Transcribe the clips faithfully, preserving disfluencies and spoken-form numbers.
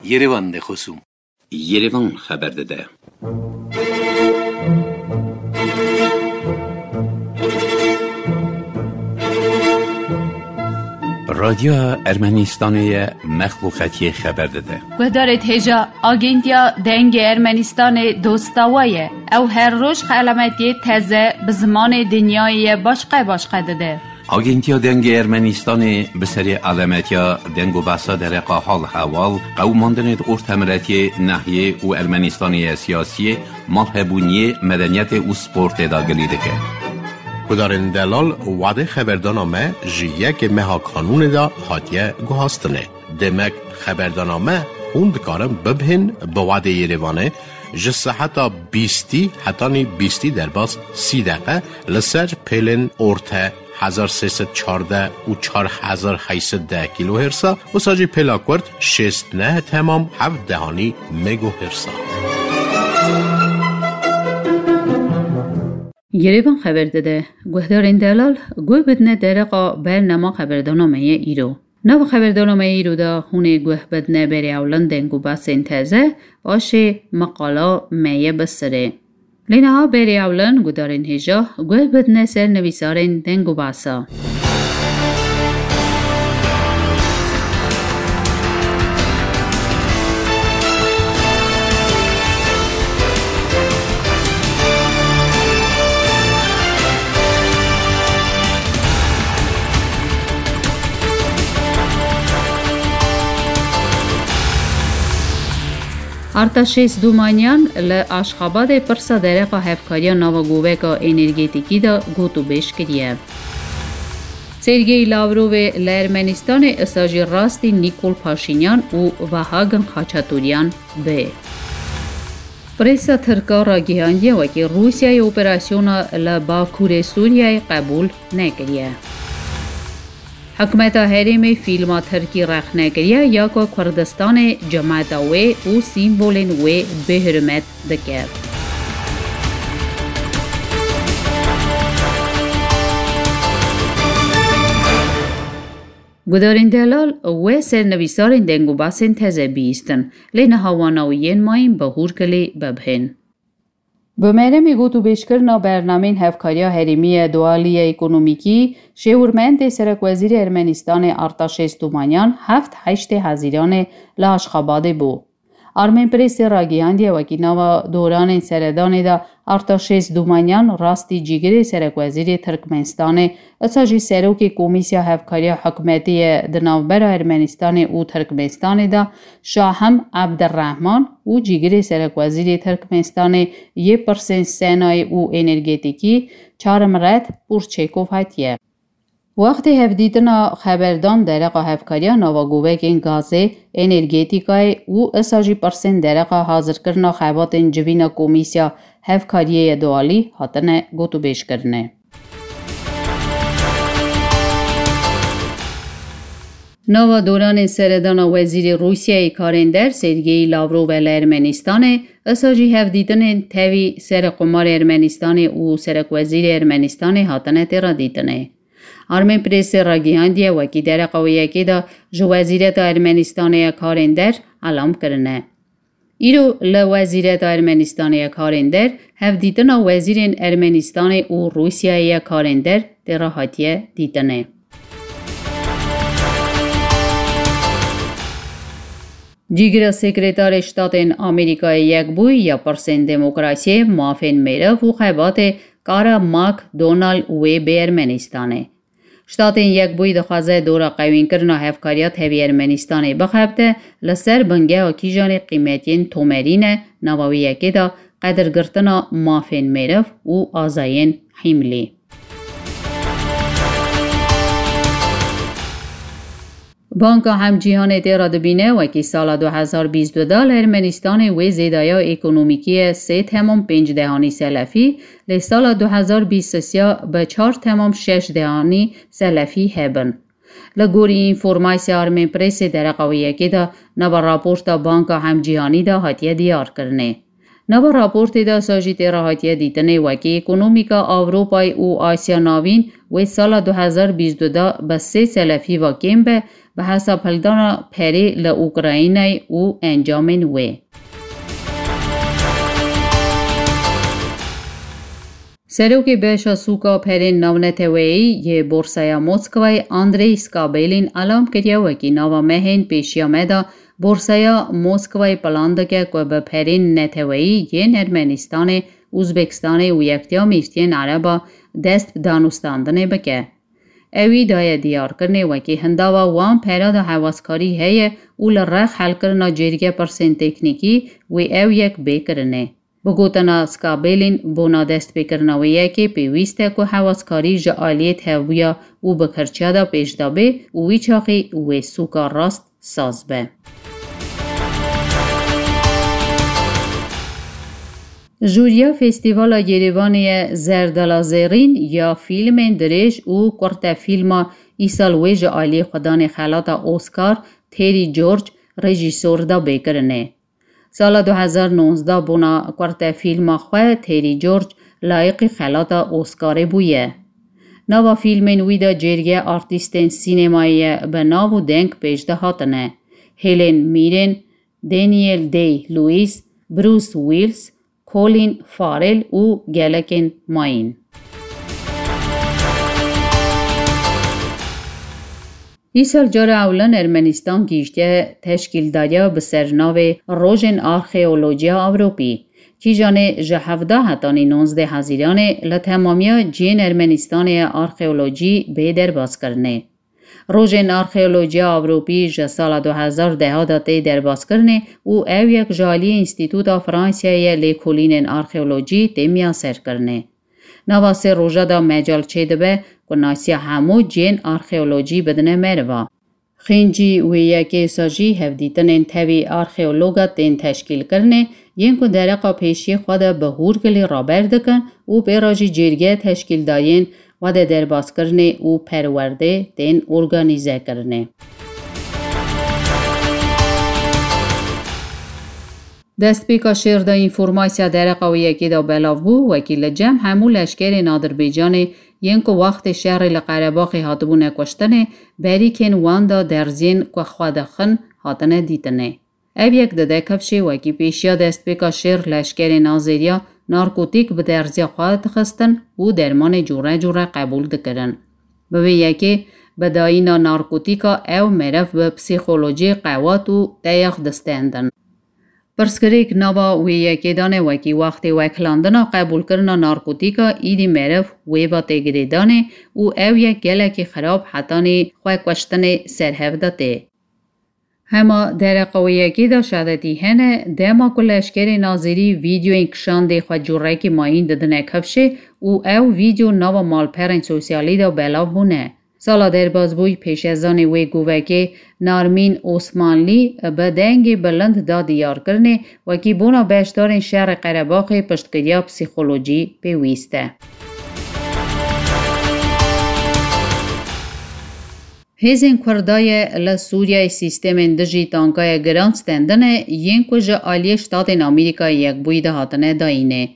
Yerevan de xosûm. Yerevan xeber dide. Radyoya Ermenistanê ye, mexluqetiyê xeber dide. Guhdarê hêja, Agentiya Dengê Ermenistanê dosta we ye. Ew her roj xelametiyê teze bi zimanê dinyayê ye başqe başqe dide. Agentiya Dengê Ermenistanê bi serê alametiya deng û behsa dereqa hal hewal, qewimandinê di ortemiretiyê, nehiyê û Ermenistanê ye siyasiyê, malhebûniyê, medeniyetê û sportê de gilî dike. Gudarên delal, wadê xeberdana me ji yekê meha kanûnê de hatiye guhastinê. Demek xeberdana me hûn dikarin bibhên bi wadê Yerevanê ji seheta bîstî hetanî bîstî derbas sî deqe li ser pêlên orte hezar sê sed çardeh û çar hezar heyt sed deh kîlohêrsa, wisa jî pêla kurt şêst neh temam heft dehanî megohêrsa. Yerevan xeber dide, guhdarên delal, guh bidine dereqa bernama xeberdana me ye îro. Nava xeberdana me îro de hûnê guh bidine berê ewlin deng û behsên teze, paşê meqala me ye bi sirê. Lê niha berê ewlin gudarên hêja guh bidine ser nivîsarên deng û behsa. Artaşêz Dumanyan li Aşxabadê pirsa dereqa hevkariya nava goveka energetîkî de gotûbêj kiriye. Sergey Lavrovê li Ermenistanê isa jî rastî Nîkol Paşînyan û Vahagin Xaçaturyan bê. Presa tirka ragihandiye wekî Rûsyayê operasyona li Bakurê Sûriyeyê qebûl nekiriye. Hikûmeta herêmê fîlma tirkî rexne kiriye ya ku Kurdistanê cemeta wê û sîmbolên wê bêhurmet dike. Gudarên delal, we ser nivîsarên deng û basên teze bihîstin, lê niha wana û yên mayîn bi hûrkilî bibhên. Bi meremê gotûbêjkirina bernameyên hevkariya herêmî ye dualî ye ekonomîkî, şêwirmendê serekwezîrê Ermenistanê Artaşêz Tumanyan heft heştê Hezîranê li Aşxabadê bû. Armên Prêsê ragihandiye wekî nava doranên seredanê de Artaşêz Dumanyan rastî cîgirê serekwezîrê Tirkmenistanê, isa jî serokê Komîsya Hevkariya Hikûmetê ye di navbera Ermenistanê û Tirkmenistanê de, Şahim Ebdirrehman û cîgirê serekwezîrê Tirkmenistanê yê pirsên senayê û energetîkî Çarimret Purçêkov hatiye. Wextê hevdîtina xeberdan dereqa hevkariya nava govekên gazê, energetîkayê û isa jî pirsên dereqa hazirkirina xebatên civîna Komîsya Hevkariyê ye dualî hatine gotûbêjkirinê. Nava doranên seredana Wezîrê Rûsyayê Karên Der Sergey Lavrov e li Ermenistanê, isa jî hevdîtinên tevî Serê Qomarê Ermenistanê û Serekwezîrê Ermenistanê hatine têra dîtinê. Armên Prêsê ragihandiye wekî dereqa wê yekê de ji Wezîreta Ermenistanê ya Karên Der elam kirine. Îro li Wezîreta Ermenistanê ya Karên Der hevdîtina wezîrên Ermenistanê û Rûsyayê ya Karên Der têra hatiye dîtinê. Cîgira Sekretarê Ştatên Amerîkayê Yekbûyî ya pirsên demokrasiyê, mafên meriv û xebatê Kara McDonald wê bê Ermenistanê. Ştatên Yekbûyî dixwaze dora qewînkirina hevkariya tevî Ermenistanê bixebite, li ser bingeha kîjanê qîmetiyên tomerî ne, nava wê yekê de qedirgirtina mafên meriv û azayên hîmlî. Banka Hemcîhanê tê re dibîne, wekî sala du hezar bîst û du de li Ermenistanê wê zêdaya ekonomîkî ye sê temam pênc dehanî selefî, lê sala du hezar bîst û sê bi çar temam şeş dehanî selefî hebin. Li gorî înformasya Armên Prêsê dereqa wê yekê de nava raporta Banka Hemcîhanî de hatiye diyarkirinê. Nava raportê de sa jî tê re hatiye dîtinê wekî ekonomîka Ewropayê û Asya Navîn wê sala du hezar bîst û du de bi sê selefî ve kêm be, bi hesab hildana perê li Ukraynayê û encamên wê. Serokê Beşa Sûka Perên Navneteweyî yê Borsaya Moskwayê Andrey Skabelîn elam kiriye, wekî nava mehên pêşiya me de Borsaya Moskwayê plan dike ku bi perên neteweyî yên Ermenistanê, Uzbekistanê û Yektiya Mîrtiyên Ereba dest bi danûstandinê bike. Ewî daye diyarkirinê wekî hindava wan pera de hewaskarî heye û li rex helkirina cêrge pirsên teknîkî wê ew yek bê kirinê. Bi gotina Skabelîn, bona destpêkirina wê yekê pêwîst e ku hewaskarî ji aliyê tevbûya û bikirçiya de pêş de bê û wî çaxî wê sûka rast saz be. Jûriya Festîvala Yerêvanê ye Zerdala Zerîn ya fîlmên dirêj û kurtefîlma îsal wê ji aliyê xwedanê xelata Oscar Terry George rejîsor da bêkirinê. Sala du hezar nonzdeh bona kurtefîlma xwe Terry George layiqî xelata Oscarê bûye. Nava fîlmên wî de cêrge artîstên sînemayê ye bi nav û deng pêş de hatine. Helen Mirren, Daniel Day-Lewis, Bruce Willis, Colin Farrell û gelekên mayîn. Îsal cara ewlan Ermenistan gihîştiye teşkîldariya bi ser navê Rojên Arxeolojiya Ewropî. Kîjanê ji hevdeh hetanî nonzdeh Hezîranê li temamiya cihên Ermenistanê ye arxeolojî bê derbaskirinê. Rojên Arxeolojiya Ewropî ji sala du hezar deh de tê derbaskirinê û ew yek ji aliyê Înstîtuta Fransayê ye lêkolînên arxeolojî tê miyaserkirinê. Nava sê roja de mecal çêdibe ku nasiya hemû cihên arxeolojî bidine meriva. Xêncî wê yekê sa jî hevdîtinên tevî arxeologa tên teşkîlkirinê, yên ku dereqa pêşiyê xwe de bi hûrgilî raber dikin û pê re jî cêrge teşkîldariyên xwe de derbaskirinê û perwerdê tên organîzekirinê. Destpêka şêr de înformasiya dereqa wê yekê de belav bû, wekî li cem hemû leşkerên Adirbaycanê yên ku wextê şerê li Qerebaxê hatibûne kuştinê, berîkên wan de derziyên ku xwe dixin hatine dîtinê. Ev yek dide kifşê wekî pêşiya destpêka şêr leşkerên Azeriya narkotîk bi derziya xwe dixistin û dermanê cûre cûre qebûl dikirin. Bi vê yekê bi dayîna narkotîka ew meriv bi psîkolojî qewat û teyax distendin. Pirsgirêk nava wê yekê de ne wekî wextê weklandina qebûlkirina narkotîka, îdî meriv wê ve tê girêdanê û ew yek gelekî xirab hetanî xwe kuştinê ser hev de tê. Hema dereqa wê yekê de şadetî hene, dema ku leşkerên Azerî vîdeoyên kişandê xwe cûrekî mayîn didine kifşê û ew vîdeo nava malperên sosyalî de belav bûne. Sala derbazbûyî pêşezanê wê govekê Narmîn Osmanlî bi dengê bilind da diyarkirinê wekî bona beşdarên şerê Qerebaxê piştgiriya psîkolojî pêwîst e. Hêzên Kurdaye li Sûriyeyê sîstemên dijî tankaya giran stendine yên ku ji aliyê Ştatên Amerîkayê Yekbûyî de hatine dayînê.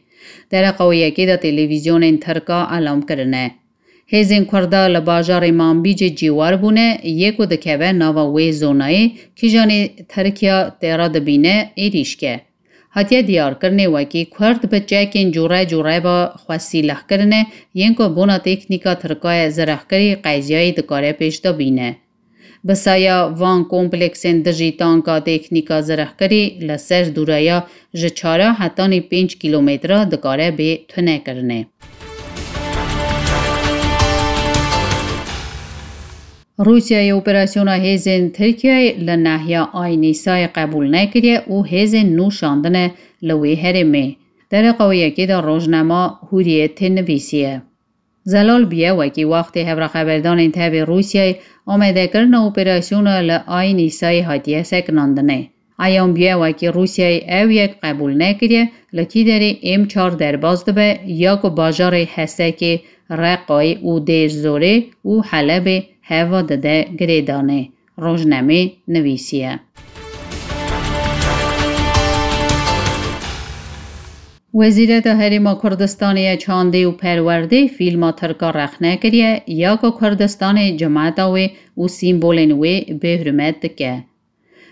Dereqa wê yekê de televîzyonên Tirka elam kirine. Hêzên Kurda li bajarê Manbîcê cîwar bûne, yê ku dikeve nava wê zonayê, kîjanê Tirkiya tê re dibîne êrîşke. Hatiye diyarkirinê wekî Kurd bi çekên cûre cûre ve xwe sîleh kirine, yên ku bona teknîka Tirkaye zirehkirî qeziyayê dikare pêş de bîne. Bi saya van kompleksên dijî tanka teknîka zirehkirî li ser dûreya ji çar hetanî pênc kîlometre dikare bê tunekirinê. Rûsyayê operasyona hêzên Tirkiyeyê li nahiya Ayn Îsayê qebûl nekiriye û hêzên nû şandine li wê herêmê. Dereqa wê yekê de rojnama Hurriyetê nivîsiye. Zelal bûye wekî wextê hevraxeberdanên tevê Rûsyayê amadekirina operasyona li Ayn Îsayê hatiye sekinandinê. Eyan bûye wekî Rûsyayê ew yek qebûl nekiriye, li kî derê êm çar derbas dibe ya ku bajarê Hesekê, Reqayê û Dêr Zorê û Helebê heva dide girêdanê, rojnamê nivîsiye. Wezîreta Herêma Kurdistanê ya Çandê û Perwerdê fîlma tirka rexne kiriye ya ku Kurdistanê cimeta wê û sîmbolên wê bêhurmet dike.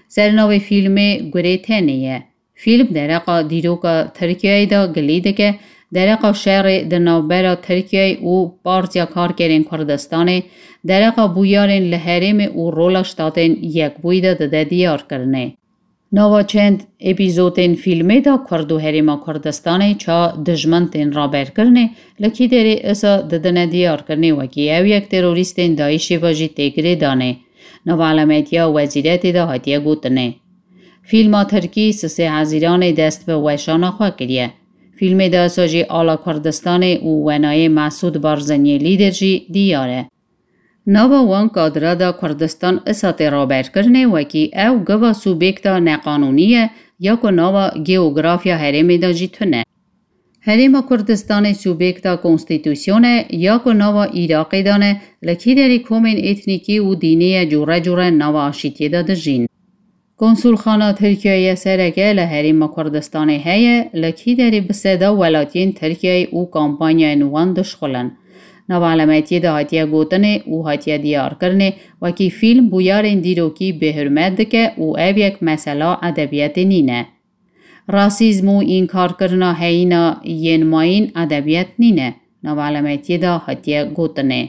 Sernavê fîlmê Gurê Tenê ye. Fîlm dereqa dîroka Tirkiyeyê de gilî dike, dereqa şerê di navbera Tirkiyeyê û Partiya Karkerên Kurdistanê, dereqa bûyerên li herêmê û rola Ştatên Yekbûyî de dide diyarkirinê. Nava çend epîzotên fîlmê de Kurd û Herêma Kurdistanê ça dijmin tên raberkirinê, li kî derê isa didine diyarkirinê wekî ew yek terorîstên DAIŞê ve jî tê girêdanê. Nava elametiya wezîretê de hatiye gotinê. Fîlma tirkî sisê Hezîranê dest bi weşana xwe kiriye. Fîlmê de isa jî ala Kurdistanê û wenayê Mesûd Barzaniyê lîder jî diyar e. Nava wan kadra de Kurdistan isa tê raberkirinê wekî ew giva Sûbêkta neqanûnî ye ya ku nava geografiya herêmê de jî tune. Herêma Kurdistanê Sûbêkta konstîtûsyon e ya ku nava Iraqê de ne, li kî derê komên etnîkî û dînî ye cûre cûre nava aşîtiyê de dijîn. Konsulxana Tirkiyeyê sereke li Herêma Kurdistanê heye, li kî derê bi seda welatiyên Tirkiyeyê û kampanyayên wan dişxulin. Nava elemetiyê de hatiye gotinê û hatiye diyarkirinê wekî fîlm bûyerên dîrokî bêhurmet dike û ev yek mesela edebiyatê nîne. Rasîzm û înkarkirina heyîna yên mayîn edebiyat nîne, nava elemetiyê de hatiye gotinê.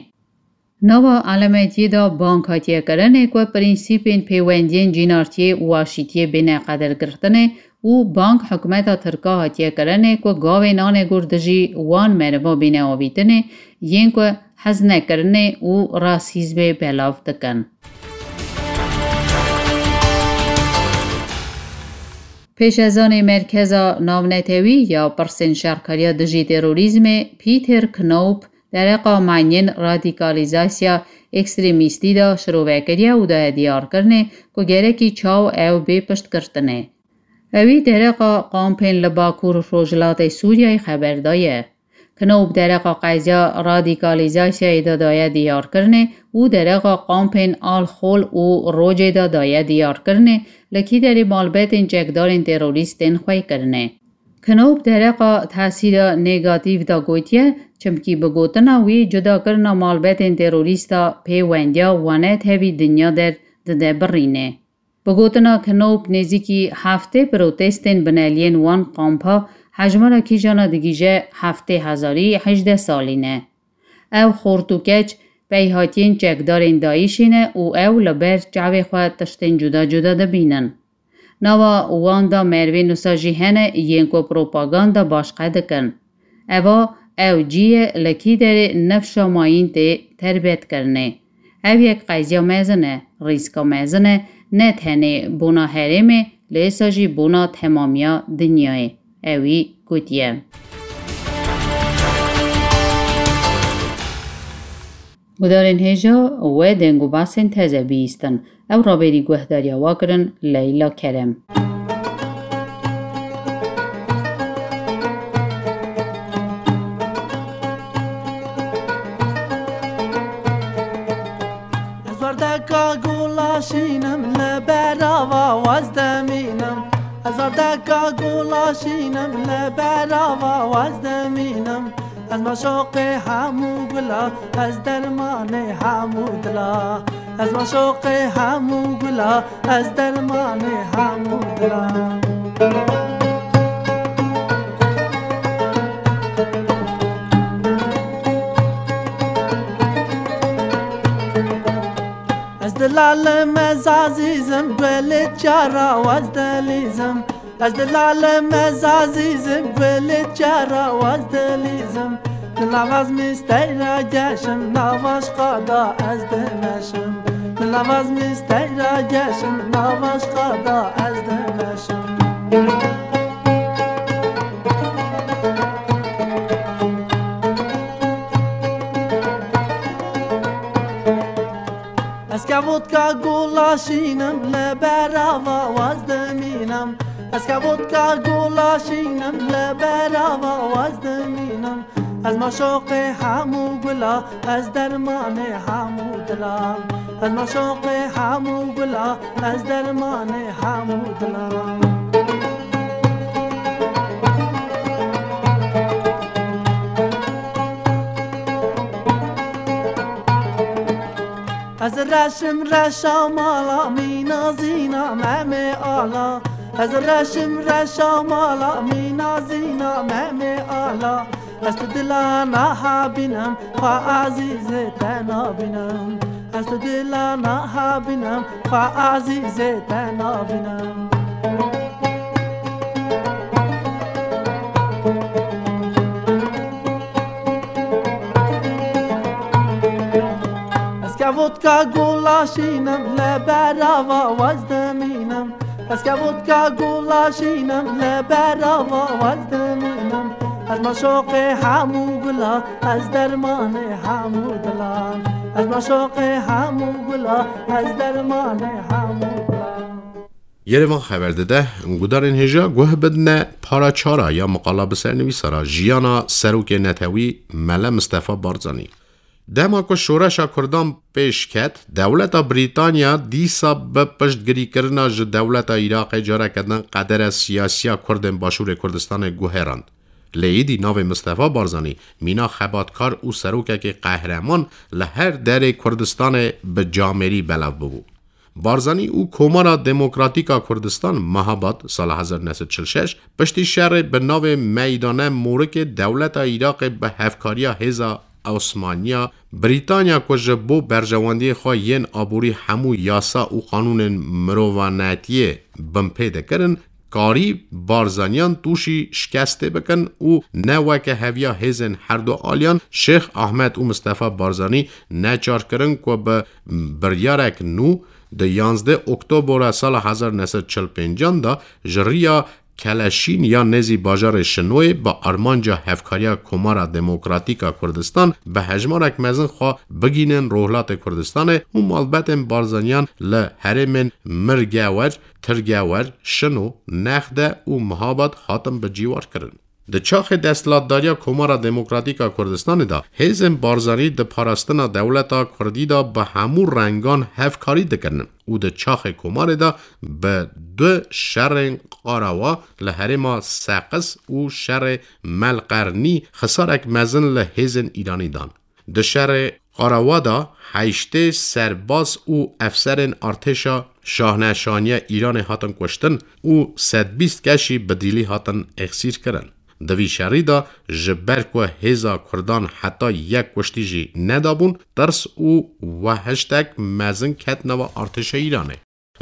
Nava elemetiyê de bang hatiye kirinê ku prensîpên pêwendiyên cînartiyê û aşîtiyê bêne qedirgirtinê û bang hikûmeta tirka hatiye kirinê ku gavên anegor dijî wan meriva bêne avîtinê, yên ku hez nekirinê û rasîzmê belav dikin. Pêşezanê Merkeza Navnetewî ya Pirsên Şerkariya Dijî Terorîzmê Peter Knaup dereqa manyên radîkalîzasya ekstremîstî de şirove kiriye û daye diyarkirinê ku gerekî çaw ew bê piştgirtinê. Ewî dereqa kampên li Bakur Rojhilatê Sûriyeyê xeber daye. Knaup dereqa qeziya radîkalîzasyayê de daye diyarkirinê û dereqa kampên Al-Hol û Rojê de daye diyarkirinê, li kî derê malbetên çekdarên terorîst tên xweykirinê. Knaup dereqa tesîra negatîf de gotiye, çimkî bi gotina wî cudakirina malbetên terorîsta pêwendiya wane tevî dinya der dide birînê. Bi gotina Knaup nêzîkî heftê protestên bineliyên wan kampa hejmara kîjana digihîje heftê hezarî hejdeh salî ne. Ew xort û keç peyhatiyên çekdarên DAIŞê ne û ew li ber çavê xwe tiştên cuda cuda dibînin. Nava wan de merivên wisa jî hene yên ku propaganda başqe dikin. Eva ew cî ye li kî derê nifşa mayîn tê terbetkirinê. Ev yek qeziya mezin e, rîska mezin e, ne tenê bona herêmê, lê êsa jî bona temamiya dinyayê. Ewî gotiye. Gudarên hêja we deng û basên teze bihîstin. Ew raberî guhdariya wa kirin Leyla Kerem. Ez werdeka gulaşînim li berava waz demînim. Ez werdeka gulaşînim li berava waz demînim. Ez maşoqê hemû gula, ez dermanê hemû dila. Ez maşoqê hemû gula, ez dermanê hemû dila. Ez dilalim, ez azîzim, gulê çara waz delîzim. Ez dilalim, ez azîzim, gulê çara waz delîzim. Di navaz misteyra geşim, navaşqa da ez dimeşim. Di navaz misteyra geşim, navaşqa da ez dimeşim. Ez kevotka gulaşînim, li berava waz dimînim. Ez kevotka gulaşînim, li berava waz dimînim. Ez maşoqê hemû gula, ez dermanê hemû dilan. Ez maşoqê hemû gula, ez dermanê hemû dilan. Ez reşim reşa mala mîna zîna Memê Ala. Ez reşim reşa mala mîna zîna Memê Ala. Ez tu dila naha bînim, xwe ezîzê te nabînim. Ez tu dila naha bînim, xwe ezîzê te nabînim. Ez kevotka gulaşînim, li berava wez dimînim. Ez kevotka gulaşînim, li berava wez dimînim. Ez maşoqê hemû gula, ez dermanê hemû dila. Ez maşoqê hemû gula, ez dermanê hemû dila. Yerevan xeber dide, gudarên hêja guh bidine para çara ya miqala bi sernivîsara jiyana serokê netewî Mele Mistefa Barzanî. Dema ku şoreşa Kurdan pêş ket, dewleta Brîtanya dîsa bi piştgirîkirina ji dewleta Iraqê careke din qedere siyasiya Kurdên Başûrê Kurdistanê guherand. Lê êdî navê Mistefa Barzanî, mîna xebatkar û serokekî qehreman li her derê Kurdistanê bi camêrî belav bibû. Barzanî û Komara Demokratîk a Kurdistan, Mehabad, sala hezar neh sed çil şeş, piştî şerê bi navê Meydane Morikê dewleta Iraqê bi hevkariya hêza Osmaniya Brîtanya ku ji bo berjewendiyê xwe yên aborî hemû yasa û qanûnên mirovanetiyê binpê dikirin, karî Barzaniyan tûşî şikestê bikin û ne weke heviya hêzên herdu aliyan Şêx Ahmed û Mistefa Barzanî neçar kirin ku bi biryarek nû di yanzdeh Oktobora sala hezar neh sed çil pêncan de ji riya Keleşîn ya nêzî bajarê Şinoyê bi armanca hevkariya Komara Demokratîk a Kurdistan bi hejmarek mezin xwe bigînin Rojhilatê Kurdistanê û malbetên Barzaniyan li herêmên Mirgewer, Tirgewer, Şino, Nexde û Mihabad hatin bi cîwar kirin. Di çaxê desthilatdariya Komara Demokratîk a Kurdistanê de hêzên Barzanî di parastina dewleta Kurdî de bi hemû rengan hevkarî dikirin û di çaxê Komarê de bi du şerên Qarawa li herêma Seqis û şerê Melqernî xisarek mezin li hêzên Îranî dan. Di şerê Qarawa de heştê serbaz û efserên artêşa şahneşaniya Îranê hatin kuştin û sed bîst keşî bi dîlî hatin êxsîrkirin. Di vî şerî de ji ber ku hêza Kurdan heta yek kuştî jî nedabûn, tirs û wehiştek mezin ket nava artêşa Îranê.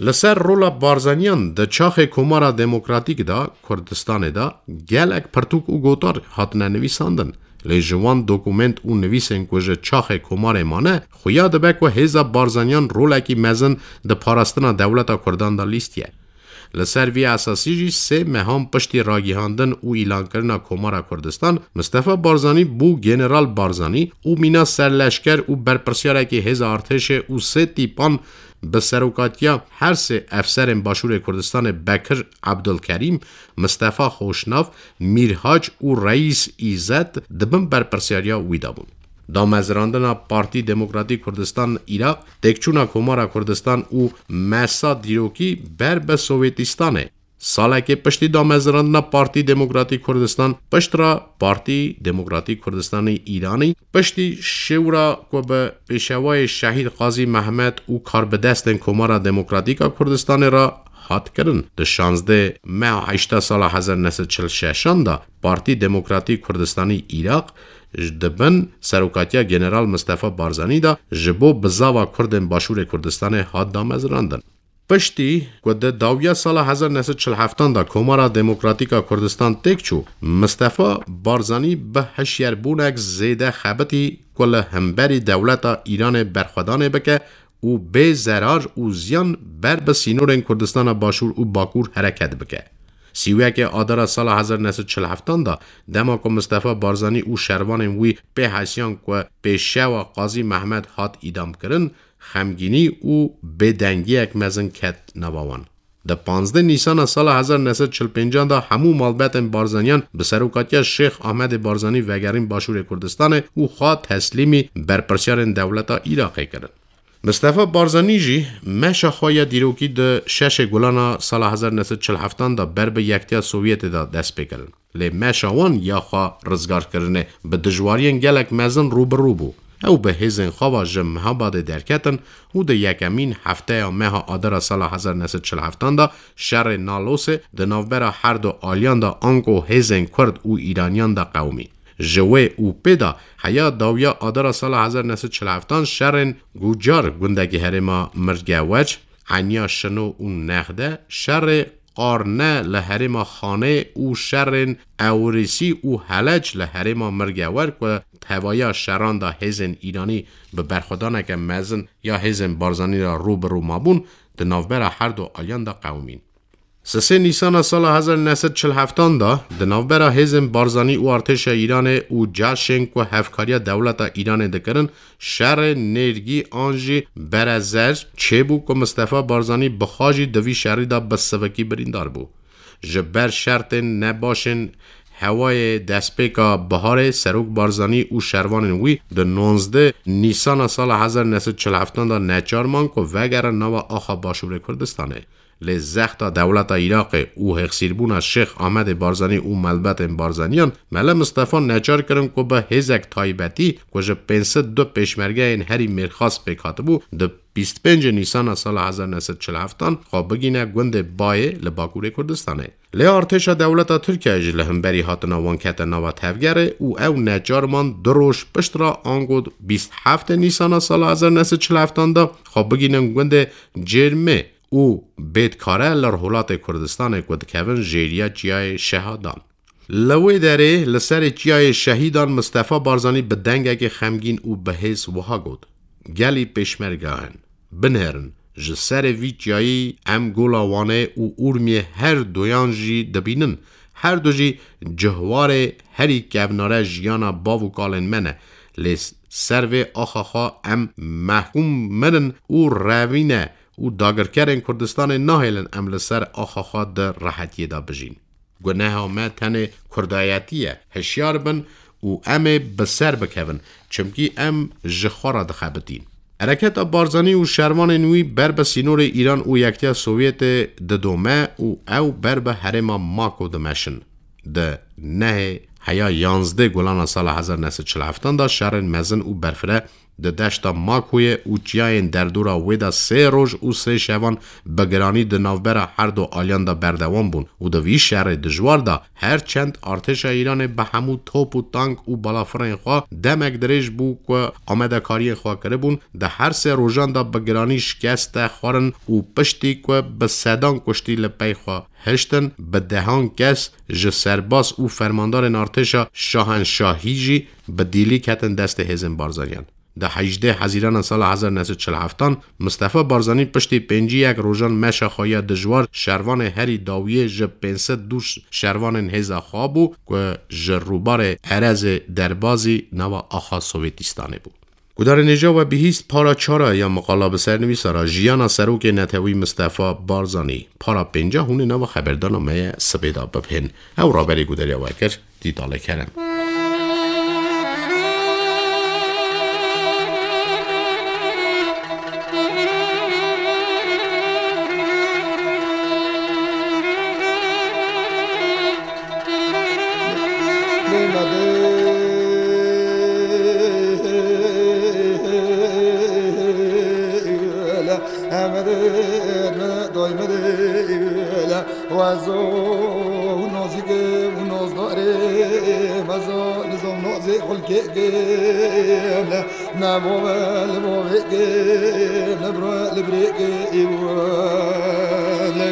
Li ser rola Barzaniyan di çaxê Komara Demokratîk de Kurdistanê de gelek pirtûk û gotar hatine nivîsandin. Lê ji wan dokument û nivîsên ku ji çaxê Komarê mane, xuya dibe ku hêza Barzaniyan rolekî mezin di parastina dewleta Kurdan de lîstiye. Li ser vî esasî jî sê mehan piştî ragihandin û îlankirina Komara Kurdistan, Mistefa Barzanî bû General Barzanî û mîna serleşker û berpirsiyarekî hêza artêşê û sê tîpan bi serokatiya her sê efserên Başûrê Kurdistanê Bekir Ebdulkerîm, Mistefa Xoşnav, Mîrhac û Reîs Îzet di bin berpirsiyariya wî de bûn. Damezrandina Partî Demokratîk Kurdistan Iraq, têkçûna Komara Kurdistan û mesa dîrokî ber bi Sowêtîstanê. Salekê piştî damezrandina Partî Demokratîk Kurdistan, pişt re Partî Demokratîk Kurdistanê Îranî, piştî şewra ku bi pêşewayê Şehîd Qazî Mehmet û karbidestên Komara Demokratîk a Kurdistanê re hat kirin, di şazdeh meha heşta sala hezar neh sed çil şeşan de Partî Demokratîk Kurdistanê Iraq di bin serokatiya General Mistefa Barzanî de ji bo bizava Kurdên Başûrê Kurdistanê hat damezrandin. Piştî ku di dawiya sala hezar neh sed çil heftan de Komara Demokratîk a Kurdistan têk çû, Mistefa Barzanî bi hişyarbûnek zêde xebitî ku li hemberî dewleta Îranê berxwedanê bike û bê zerar û ziyan ber bi sînorên Kurdistana Başûr û Bakûr hereket bike. Sî û yekê Adara sala hezar neh sed çil heftan de, dema ku Mistefa Barzanî û şervanên wî pê hesiyan ku pêşewa Qazî Mehmet hat îdam kirin, xemgînî û bêdengiyek mezin ket nava wan. Di panzdeh Nîsana sala hezar neh sed çil pêncan de hemû malbetên Barzaniyan bi serokatiya Şêx Ahmedê Barzanî vegerîn Başûrê Kurdistanê û xwe teslîmî berpirsiyarên dewleta Iraqê kirin. Mistefa Barzanî jî meşa xwe ya dîrokî di şeşê Gulana sala hezar neh sed çil heftan de ber bi Yektiya Sovyetê de dest pê kirin. Lê meşa wan ya xwe rizgarkirinê bi dijwariyên gelek mezin rû bi rû bû. Ew bi hêzên xwe ve ji Mehabadê derketin û di yekemîn hefteya meha Adara sala hezar neh sed çil heftan de şerê Nalosê di navbera her du aliyan de ango hêzên Kurd û Îraniyan de qewimî. Ji wê û pê de heya dawiya Adara sala hezar neh sed çil heftan şerên Gucar gundekî herêma Mirgeweç, Eniya Şino û Nexde, şerê Qarne li herêma Xanê û şerên Ewrîsî û Helec li herêma Mirgewer ku tevaya şeran de hêzên Îranî bi berxwedaneke mezin ya hêzên Barzanî re rû bi rû mabûn, di navbera her du aliyan de qewimîn. Sisê Nîsana sala hezar neh sed çil heftan de di navbera hêzên Barzanî û artêşa Îranê û caşên ku hevkariya dewleta Îranê dikirin, şerê nêrgî an jî berezer çêbû ku Mistefa Barzanî bi xwe jî di vî şerî de bi sivikî birîndar bû. Ji ber şertên nebaşên hewayê destpêka biharê Serok Barzanî û şervanên wî di nonzdeh Nîsana sala hezar neh sed çil heftan de neçar man ku vegerin nava axa Başûrê Kurdistanê. Lê zexta dewleta Iraqê û hêxsîrbûna Şêx Amedê Barzanî û malbatên Barzaniyan Mele Mistefa neçar kirin ku bi hêzek taybetî ku ji pênc sed du pêşmergeyên herî mêrxas pêk hatibû, di bîst pêncê Nîsana sala hezar neh sed çil heftan xwe bigîne gundê Bayê li Bakurê Kurdistanê. Lê artêşa dewleta Tirkiyeyê jî li hemberî hatina wan kete nava tevgerê û ew neçar man du roj pişt re ango bîst heftê Nîsana sala hezar neh sed çil heftan de xwe bigînin gundê Cêrmê û Bêtkare li Rihûlatê Kurdistanê ku dikevin jêriya Çiyayê Şehadan. Li wê derê li serê Çiyayê Şehîdan Mistefa Barzanî bi dengekê xemgîn û bi hêz wiha got, Gelî pêşmerga in, binêrin, ji serê vî çiyayî em Gola Wanê û Urmiyê her duyan jî dibînin. Her du jî cihwarê herî kevnare jiyana bav û kalên me ne. Lê ser vê axa xwe em mehkûm mirin û revîne û dagirkerên Kurdistanê nahêlin em li ser axa xwe di rehetiyê de bijîn. Guneha me tenê kurdayetî ye. Hişyar bin û em ê bi ser bikevin, çimkî em ji xwe re dixebitîn. Hereketa Barzanî û şervanên wî ber bi sînorê Îran û Yektiya Sovyetê didome û ew ber bi herêma Mako dimeşin. Di nehê heya yanzdeh Gulana sala hezar neh sed çil heftan de şerên mezin û berfireh di deşta Makoyê û çiyayên derdora wê de sê roj û sê şevan bi giranî di navbera her du aliyan de berdewam bûn û di vî şerê dijwar de her çend artêşa Îranê bi hemû top û tank û balafirên xwe demek dirêj bû ku amadekariyên xwe kiribûn, di her sê rojan de bi giranî şikeste xwarin û piştî ku bi sedan kuştî li pey xwe hiştin, bi dehan kes ji serbaz û fermandarên artêşa şahenşahî jî bi dîlî ketin destê hêzên Barzaniyan. Di hejdeh Hezîrana sala hezar neh sed çil heftan, Mistefa Barzanî piştî pêncî yek rojan meşa xwe ya dijwar şervanê herî dawiyê ji pênc sed du şervanên hêza xwe bû ku ji rûbarê Erezê derbazî nava axa Sovêtîstanê bû. Gudarên hêja we bihîst para çara ya miqala bi sernivîsa re jiyana serokê netewî Mistefa Barzanî. Para pênca hûn ê nava xeberdana me ye sibê de bibihên. Ew raberê gudariya we kir. Dîtalê kerem. Wazo û nozîkê û nozdarê meza nizam nozê xulkê gêle. Ne bo ve li bo vê gêle, bro li birê gê îwele.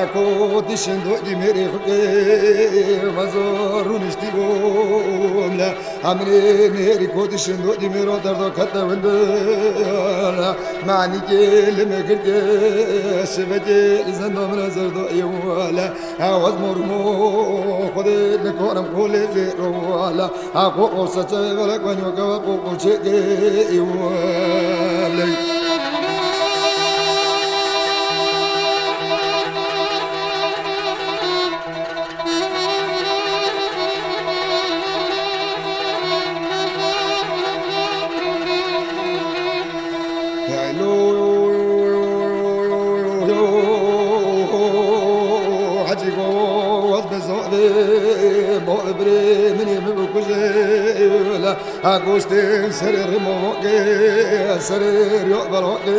Ako dişin do dimeri xwe vazo runişti gomle. Amrê nêrî kotişin do dîmê ro derdo kete winde. Manî kê li me girke şivekê li zendo min zerdo ewale. Awaz mor mo xwedê nikorim kolê zê ewale. A ko ko saçe vele kwenyo kava ko ko çeke ewale. Ha goştên serê rêmovokê, serê riya belokê,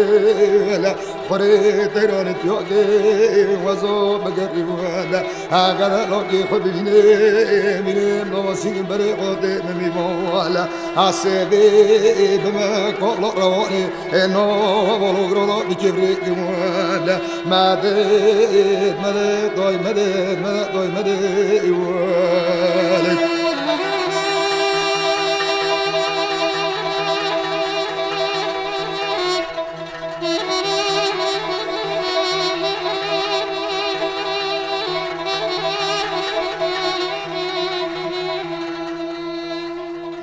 le xurê teyranê tiyokê, wezo bigerî we, le ha gele lokê xwe bivînê, bînê navasî berê xwe tê mimî vo, le ha sêvê bime kolo rewanê, e no volo grolo dikevrê we, le medet, medet, doy medet, medet, doy medet, we, le.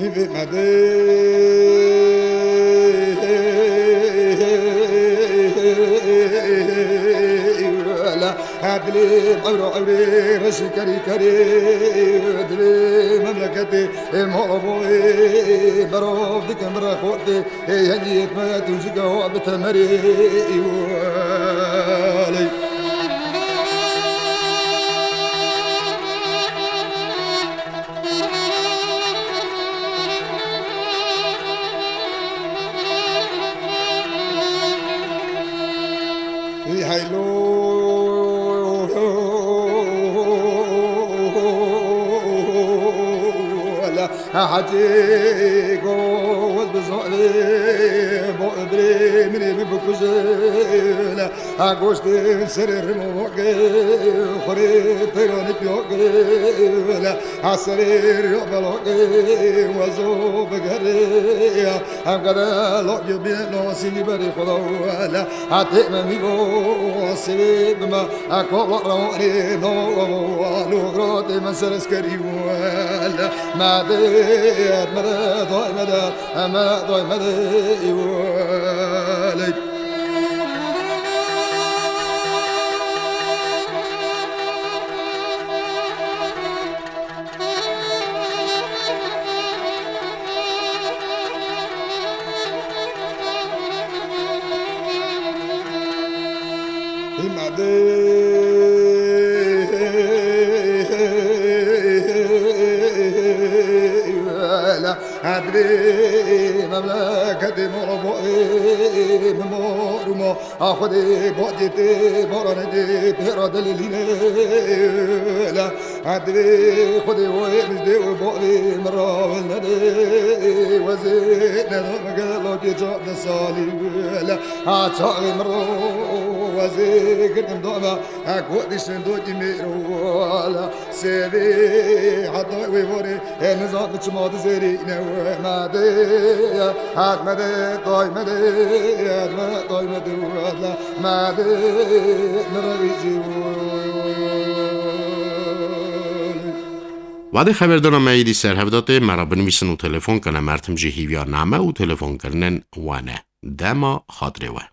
Hîvê me de. Dilê ewro ewrê reşî kerî kerî, dilê memleketê, e, molovoyê, berov dikim rexotê, e, yengiyet me tuncika wa bi temerê, e, weley. Heylo, la hecê goz bi zorê, bo birê min ê min bikuje, la ha goştên serê rimo ke, xurê teyranê piyo ke, la ha serê riyo belo ke, wezo bigere, ya. Em gede lo yo bîne lo sînî berî Xuda wele. Hatê me mîvo sivê bime. Eko lo rewanê no lo gro tê me ser eskerî wele. Me de, me de, doy me de, me de, doy me de, wele. Adrê memleketê mor bo ê, mor mo. A Xwedê bo dê tê, boranê dê, pêra delilîne la. A divê Xwedê wê mijdê wê bo vê min ra wil nedê. Wezê nedo min gelo kê çar de salî la. A çaxê min ro wezê girdim dame. A ku dişin do ki mêro la. Sêvê heta wê vorê. E, nizam çima dizêrî ne we me de, hat me de, tay me de, hat me, tay me de, hat la me de, ne re wî zî. Wadê xeberdana me êdî ser hev datê, me re binivîsin û telefon kene, mertim jî hîviya name û telefonkirinên we ne. Dema xatirê we.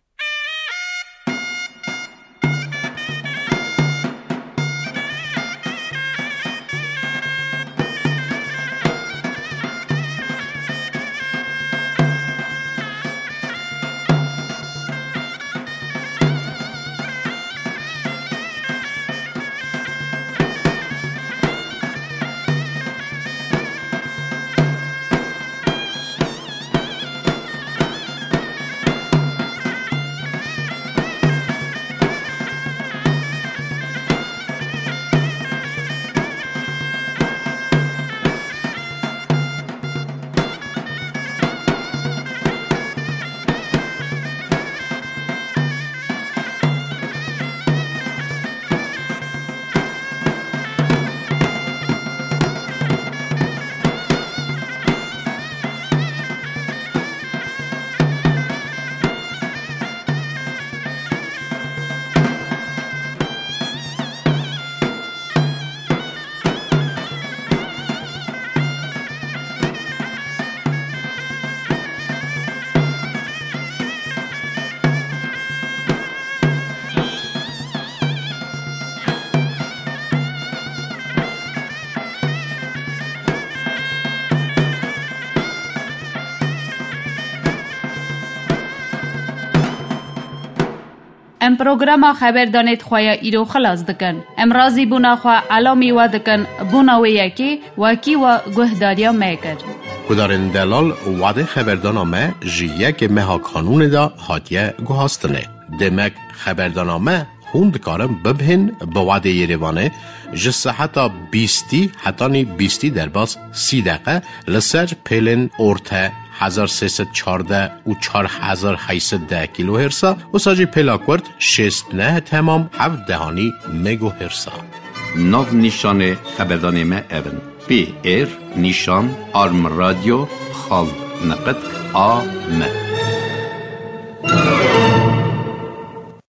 Em programa xeberdanê di xwe ya îro xilas dikin. Em razîbûna xwe elamî we dikin, bona wê yekê wekî we guhdariya me kir. Guhdarên delal, wadê xeberdana me ji yekê meha Kanûnê de hatiye guhastinê. Demek xeberdana me hûn dikarin bibihên bi wadê Yerêvanê ji seheta bîstî hetanî bîstî derbas sî deqe li ser pêlên orte hezar sê sed çardeh û çar hezar heyt sed deh kîlohêrsa, wisa jî pêla kurt şêst neh temam heft dehanî megohêrsa. Nav nîşanê xeberdanê me ev in: P R nîşan arm radio xal neqet a m.